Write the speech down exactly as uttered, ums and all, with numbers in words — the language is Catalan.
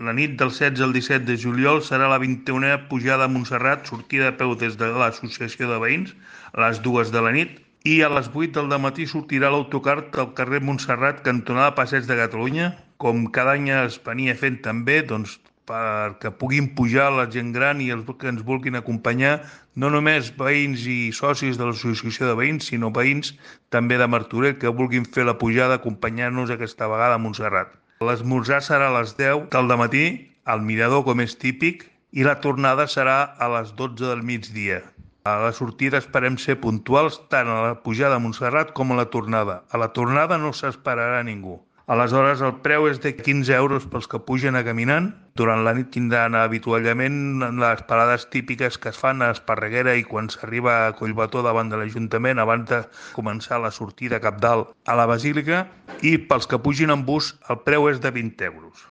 La nit del setze al disset de juliol serà la vint-i-unena pujada a Montserrat, sortida a peu des de l'Associació de Veïns a les dues de la nit i a les vuit del matí sortirà l'autocar del carrer Montserrat, cantonada Passeig de Catalunya, com cada any es venia fent també, doncs, perquè puguin pujar la gent gran i els que ens vulguin acompanyar, no només veïns i socis de l'Associació de Veïns, sinó veïns també de Martorell que vulguin fer la pujada acompanyant-nos aquesta vegada a Montserrat. L'esmorzar serà a les deu del matí, al mirador com és típic, i la tornada serà a les dotze del migdia. A la sortida esperem ser puntuals tant a la pujada a Montserrat com a la tornada. A la tornada no s'esperarà ningú. Aleshores, el preu és de quinze euros pels que pugen a caminant. Durant la nit tindran avituallament les parades típiques que es fan a Esparreguera i quan s'arriba a Collbató davant de l'Ajuntament abans de començar la sortida cap dalt a la Basílica. I pels que pugin en bus, el preu és de vint euros.